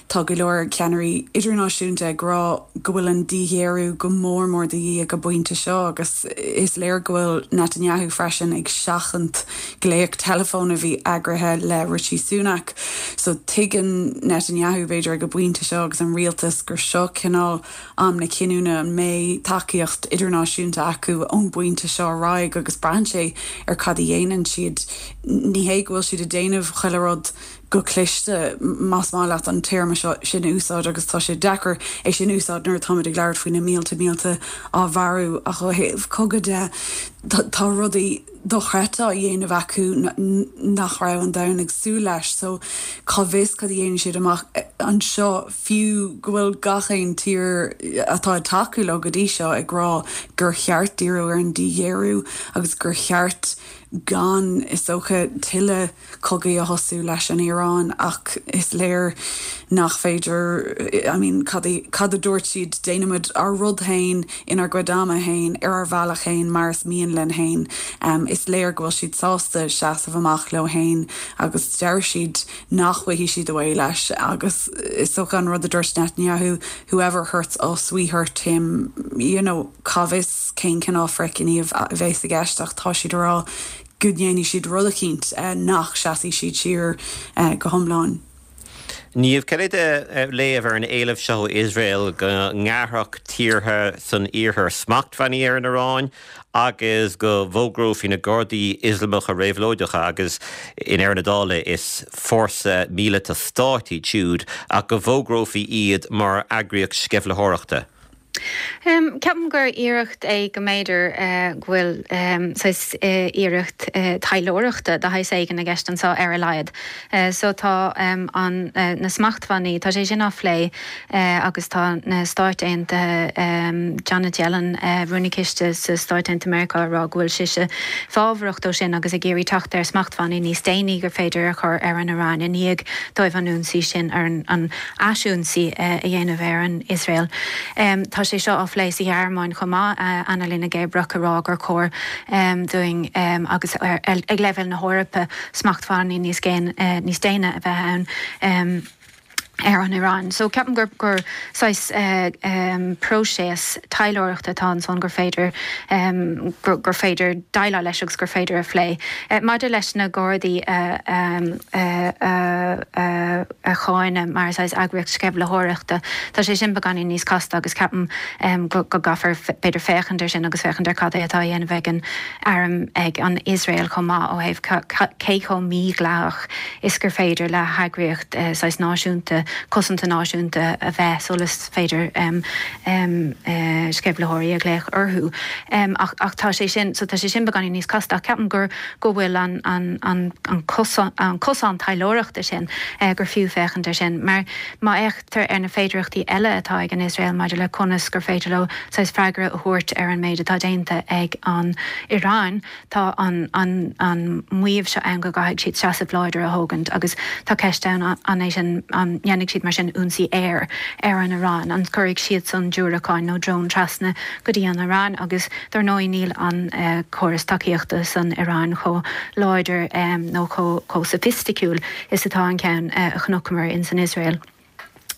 Tá go leor ceannairí idirnáisiúnta ag rá go bhfuil an díghéarú go mór mór de dhíth ag an bpointe seo agus is léir go bhfuil Netanyahu freisin ag seachaint glaoch teileafóin a bhí eagraithe le Rishi Sunak. So tuigeann Netanyahu b'fhéidir ag an bpointe seo agus an rialtas gur seo cineál am na cinniúna an mbeidh tacaíocht idirnáisiúnta acu ón bpointe seo ar aghaidh agus braitheann sé ar cad a dhéanann siad. Ní hé go bhfuil siad ag déanamh chuile rud go cliste más maith leat an téarma seo sin a úsáid agus tá sé deacair é sin a úsáid nuair atáimid ag labhairt faoi na mílte mílte á mharú ach ó thaobh cogadh de tá rudaí dochreidte á dhéanamh acu nach raibh an domhan ag súil leis so cá bhfios cad a dhéanfaidh siad amach anseo fiú go bhfuil gach aon tír atá ag tacú leo go dtí seo ag rá gur cheart díriú ar an díghéarú agus gur cheart gan is dócha tuilleadh cogaidh a thosú leis an Iaráin ach is léir nach féidir I mean cad cad a dúirt siad déanaimid ár rud féin inár gcuid ama féin ar ár bhealach féin mar is mian linn féin. Um, is léir go bhfuil siad sásta seasamh amach leo féin agus deir siad nach bhfaighidh siad away leis agus is dócha an rud a dúirt Netanyahu whoever hurts us we hurt him you know cá bhfios cén cineál frithghníomh a bheas i gceist ach tá siad rá go ndéanfaidh siad rud eicínt nach seasfaidh siad siar go hiomlán. Niamh cad é do léamh ar an éileamh seo Iosrael go ngearrfadh tíortha san iarthar smachtbhannaí ar an Iaráin agus go bhfógrófaí na Gardaí Ioslamacha Réabhlóideacha agus i ndeireadh na dála is fórsa míleata stáit iad siúd ach go bhfógrófaí iad mar eagraíocht sceimhlitheoireachta. Um, Ceapaim gur iarracht é go mb'fhéidir uh, go bhfuil um, uh, iarracht uh, taidhleoireachta de shaghas éigin i gceist anseo ar a laghad. Uh, so tá um, an, uh, na smachtbhannaí tá sé sin á phlé uh, agus tá na Stáit Aontaithe um, Janet Yellen uh, Rúnaí Ciste sa Stáit Aontaithe Meiriceá ag rá go bhfuil sise fábharach dó sin agus ag iarraidh teacht ar smachtbhannaí níos déine gur féidir a chur ar an Iaráin i ndiaidh dóibh an ionsaí sin ar an, an aisionsaí uh, a dhéanamh ar an Iosrael. Um, tá sé seo á phlé sa Ghearmáin chomh maith uh, Annalena Baerbock ag rá gur chóir um, dúinn um, agus ar, ar, ag leibhéal na hEorpa smachtbhannaí níos géine uh, níos déine a bheith ann. Um, ar an Iaráin. So ceapaim gur gur saghas uh, um, próiseas taidhleoireachta atá ansan gur féidir um, gur, gur féidir déileáil leis agus gur féidir a phlé. Uh, Maidir leis na Gardaí uh, um, uh, uh, uh, a cháineadh mar saghas eagraíocht sceimhlitheoireachta. Tá sé sin beagáinín níos casta agus ceapaim um, go, go gcaithfear b'fhéidir féachaint air sin agus féachaint ar cad é atá á dhéanamh ag an arm ag an Iosrael chomh maith ó thaobh cé chomh mídhleathach is gur féidir le heagraíocht uh, saghas náisiúnta cosanta náisiúnta a bheith sula féidir um, um, uh, sceimhlitheoirí a ghlaoch orthu. Um, ach, ach tá sé sin so tá sé sin beagáinín níos casta ceapaim gur go bhfuil an, an, an, an, cosán, an cosán taidhleoireachta sin uh, gur fiú féachaint air sin, mar má fhéachtar ar na féidearthachtaí eile atá ag an Iosrael maidir le conas gur féidir leo saghas freagra a thabhairt ar an méid atá déanta ag an Iaráin tá an, an, an maíomh seo ann go gcaithfidh siad seasamh láidir a thógaint agus tá ceist ann an é sin an dhéanfaidh siad mar sin ionsaí aeir ar an Iaráin an gcuirfidh siad san diúracáin nó drón trasna go dtí an Iaráin agus dar ndóigh níl an uh, córas tacaíochta san Iaráin chomh láidir um, nó chomh soifisticiúil is atá an ceann uh, a chonaiceamar in san Iosrael.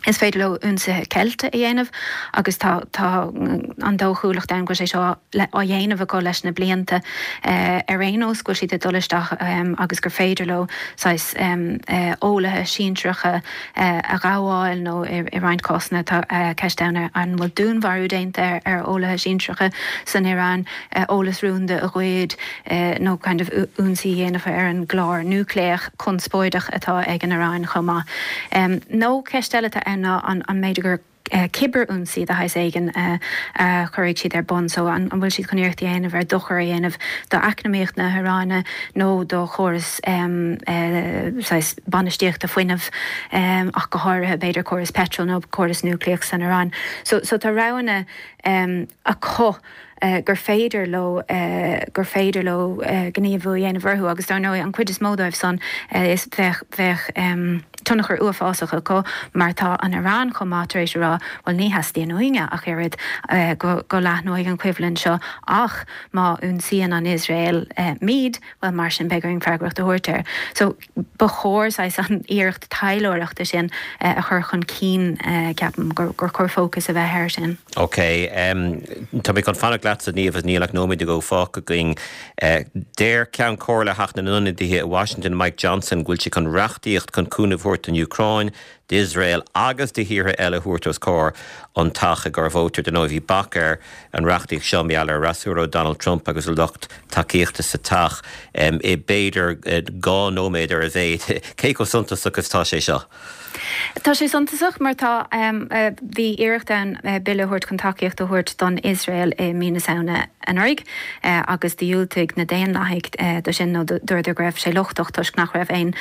Is féidir leo ionsaithe ceilte a dhéanamh agus tá tá an dóchúlacht ann go sé seo á dhéanamh acu leis na blianta uh, ar aon nós go siad dul isteach um, agus gur féidir leo saghas um, uh, eolaithe sinsearacha uh, a ghabháil nó i, i roinnt cásanna tá uh, ceist ann an bhfuil dúnmharú déanta ar, ar eolaithe sinsearacha san Iaráin uh, eolas rúnda a ghoid uh, nó kind of ionsaí a dhéanamh ar an gclár núicléach conspóideach atá ag an Iaráin chomh maith. Um, nó ceist eile atá ann ná an, an mb'fhéidir gur uh, cibirionsaí de shaghas éigin uh, uh, chuirfidh siad ar bun so an, an bhfuil siad chun iarracht a dhéanamh ar dochar a dhéanamh do eacnamaíocht na hIaráine nó do chóras um, uh, bainistíochta fuinnimh um, ach go háirithe b'fhéidir córas petrol nó córas núicléach san Iaráin. So, so tá roghanna um, acu Uh, gur féidir leo uh, gur féidir leo uh, gníomhú a dhéanamh orthu agus dar ndóigh an chuid is mó dóibh san uh, is bheadh bheadh um, tionchar uafásach acu mar tá an Iaráin chomh maith tar éis a rá bhuel ní theastaíonn uainne ach oiread go go leathnóidh an choimhlint seo ach má ionsaíonn an Iosrael muid bhuel mar sin beidh orainn freagracht a thabhairt air. So ba chóir saghas an iarracht taidhleoireachta sin a chur chun cinn ceapaim gur gur chóir fócas a bheith air sin. Ok, tá mé chun fanacht leatsa Niamh níl ach nóiméad nó dhó fágtha againn. Deir Ceann Comhairle Theach na nIonadaithe i Washington Mike Johnson go bhfuil sé chun reachtaíocht chun cúnamh a thabhairt don Úcráin, d'Iosrael agus do thíortha eile a thabhairt os comhair an teach i gcomhair vóta. Dar ndóigh bhí bac ar an reachtaíocht seo mar gheall ar fhreasúra Donald Trump agus a lucht tacaíochta sa teach i b'fhéidir dhá nóiméad ar a mhéad. Cé chomh suntasach is tá sé seo? Tá sé suntasach mar tá bhí iarracht ann bille a thabhairt chun tacaíocht a thabhairt don Iosrael i mí na Samhna anuraidh agus dhiúltaigh na Daonlathaigh do sin nó dúradar go raibh sé lochtach toisc nach raibh aon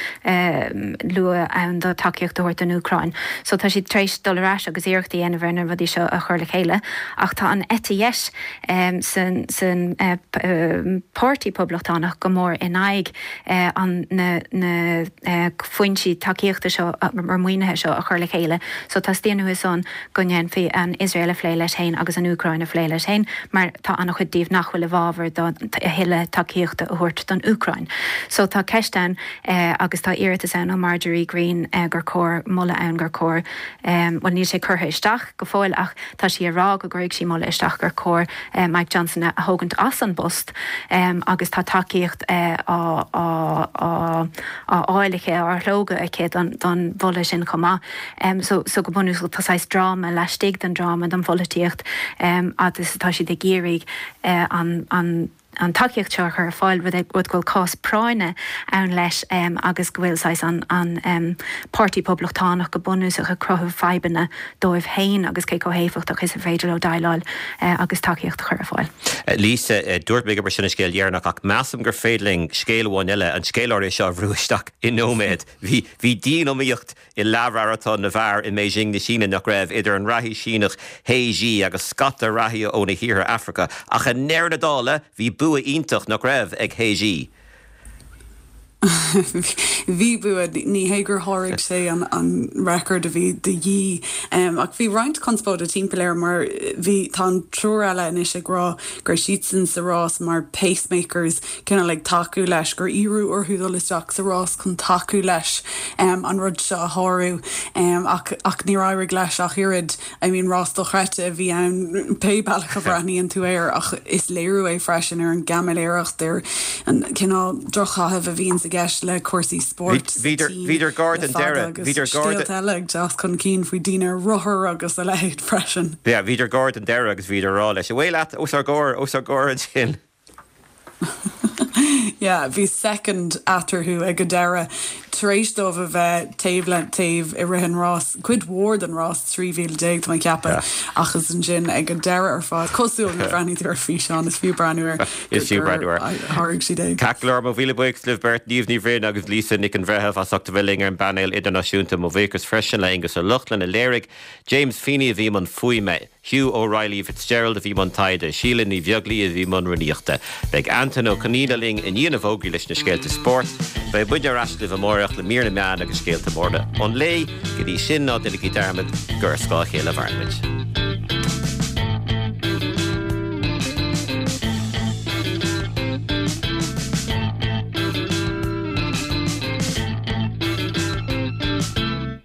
lua ann do tacaíocht a thabhairt don Úcráin. So tá siad tar éis dul ar ais agus iarracht a dhéanamh ar na rudaí seo a chur le chéile ach tá an eite dheis san san Páirtí Poblachtánach go mór in aghaidh an na na foinsí tacaíochta seo mar maoinithe seo a chur le chéile. So teastaíonn uathu san go ndéanfaí an Iosrael a phlé leis féin agus an Úcráin a phlé leis féin mar tá an-chuid díobh nach bhfuil i bhfabhar do a thuilleadh tacaíochta a thabhairt don Úcráin. So tá ceist ann agus tá iarratas ann ó Marjorie Greene gur chóir moladh ann gur chóir bhuel níl sé curtha isteach go fóill ach tá sí ag rá go gcuirfidh sí moladh isteach gur chóir Mike Johnson a thógaint as an bpost agus tá tacaíocht á á á fháil aici á shlógadh aici don don mholadh sin chomh maith. So so go bunúsach tá saghas dráma laistigh den dráma don pholaitíocht agus tá siad ag iarraidh an an an tacaíocht seo a chur ar fáil rud rud go bhfuil cás práinne ann leis agus go bhfuil saghas an an Páirtí Poblachtánach go bunúsach ag cruthú fadhbanna dóibh féin agus cé chomh héifeachtach is a féidir leo déileáil agus tacaíocht a chur ar fáil. Lisa, dúirt mé gurb sin an scéal dheireanach ach measaim gur féidir linn scéal amháin eile an scéal áirithe seo a bhrú isteach i nóiméad. Bhí bhí dianiomaíocht i leathmharatón na bhfear i mBeijing na Síne nach raibh idir an reathaí Síneach He Jie agus scata reathaithe ó na thíortha Afraice ach i ndeireadh na dála bhí bua iontach nach raibh ag He Jie. Bhí bua ní hé gur sháraigh sé an, an record a bhí de dhíth um, ach bhí roinnt conspóide timpeall air mar bhí tá an triúr eile anois ag rá gur siadsan sa rás mar pacemakers cineál ag tacú leis gur iarradh orthu dul isteach sa rás chun tacú leis um, an rud seo a shárú um, ach, ach níor éirigh leis ach oiread I mean rás dochreidte a bhí ann pé bealach a bhreathnaíonn tú air ach is léiriú é freisin ar an gcaimiléireacht ar an cineál drochchaitheamh a bhíonn i gceist le cúrsaí spóirt Bhíodar gar don deireadh bhíodar gar eile ag teacht chun cinn faoi daoine rothar agus a leithéid freisin. Ja, bhíodar gar don deireadh agus bhíodar ag rá leis. Away leat os ár gcomhair os ár gcomhair ansin. Yeah, bhí second eatarthu ag an deireadh tar éis dóibh a bheith taobh le taobh i rith an rás cuid mhór den rás trí mhíle déag tá mé ag ceapadh ach is ansin ag an deireadh ar fad cosúil le breathnaigh ar físeán is fiú breathnú air Is fiú breathnú air. Tháinig siad é. Ceart go leor mo mhíle buíochas libh beirt Niamh Ní Bhroin agus Lisa Nic an Bhreithimh as ucht a bheith linn ar an bpainéal idirnáisiúnta mo bhuíochas freisin le Aengus Ó Lochlainn a léirigh James Feeney a bhí i mbun fuaime. Hugh O'Reilly Fitzgerald a bhí i mbun taighde, Síle Ní Bheaglaoich a bhí i mbun rúnaíochta. Beidh Antain Ó Conaola linn i ndiaidh na bhfógraí leis na scéalta spóirt. Beidh muid ar ais libh amárach le mír na meán agus scéalta móra an lae, go dtí sin ná déanaigí dearmad gur ar scáth a chéile a mhaireann muid.